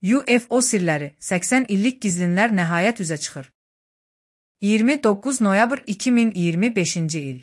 UFO sirləri, 80 illik gizlinlər nəhayət üzə çıxır. 29 noyabr 2025-ci il.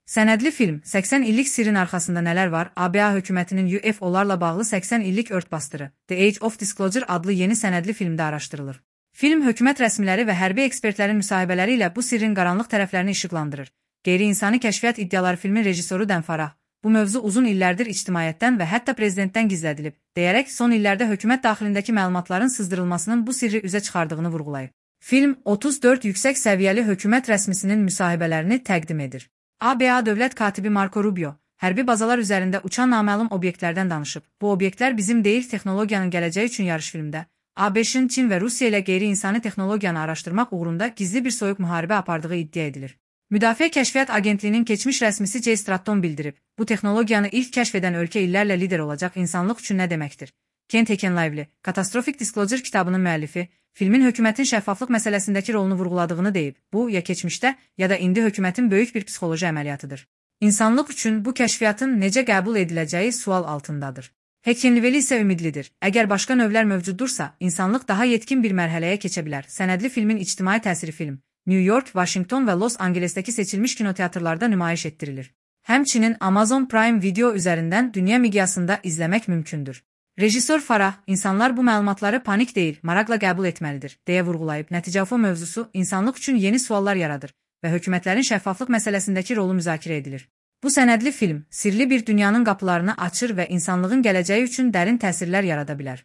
Sənədli film, 80 illik sirrin arxasında nələr var? ABA hökumətinin UFO'larla bağlı 80 illik örtbasdırı, The Age of Disclosure adlı yeni sənədli filmdə araşdırılır. Film, hökumət rəsmiləri və hərbi ekspertlərin müsahibələri ilə bu sirrin qaranlıq tərəflərini işıqlandırır. Qeyri-insani kəşfiyyat iddiaları filmin rejissoru Dan Farah, bu mövzu uzun illərdir ictimaiyyətdən və hətta prezidentdən gizlədilib, deyərək son illərdə hökumət daxilindəki məlumatların sızdırılmasının bu sirri üzə çıxardığını vurğulayıb. Film, 34 yüksək səviyyəli hökumət rəsmisinin müsahibələrini təqdim edir. ABA dövlət katibi Marco Rubio, hərbi bazalar üzərində uçan naməlum obyektlərdən danışıb. Bu obyektlər bizim deyil, texnologiyanın gələcəyi üçün yarış filmdə. ABŞ-ın Çin və Rusiya ilə qeyri-insani texnologiyanı araşdırmaq uğrunda gizli bir soyuq müharibə apardığı iddia edilir. Müdafiə Kəşfiyyat Agentliyinin keçmiş rəsmisi Jay Stratton bildirib, bu texnologiyanı ilk kəşf edən ölkə illərlə lider olacaq, insanlıq üçün nə deməkdir? Kent Heckenlively, Catastrophic Disclosure kitabının müəllifi, filmin hökumətin şəffaflıq məsələsindəki rolunu vurğuladığını deyib. Bu, ya keçmişdə, ya da indi hökumətin böyük bir psixoloji əməliyyatıdır. İnsanlıq üçün bu kəşfiyyatın necə qəbul ediləcəyi sual altındadır. Heckenlively isə ümidlidir. Əgər başqa növlər mövcuddursa, insanlıq daha yetkin bir mərhələyə keçə bilər. Sənədli filmin ictimai təsiri film New York, Washington və Los Angelesdəki seçilmiş kinoteatrlarda nümayiş etdirilir. Həmçinin Amazon Prime Video üzərindən dünya miqyasında izləmək mümkündür. Rejissor Farah, insanlar bu məlumatları panik deyil, maraqla qəbul etməlidir, deyə vurğulayıb. Nəticə UFO mövzusu insanlıq üçün yeni suallar yaradır və hökumətlərin şəffaflıq məsələsindəki rolu müzakirə edilir. Bu sənədli film, sirli bir dünyanın qapılarını açır və insanlığın gələcəyi üçün dərin təsirlər yarada bilər.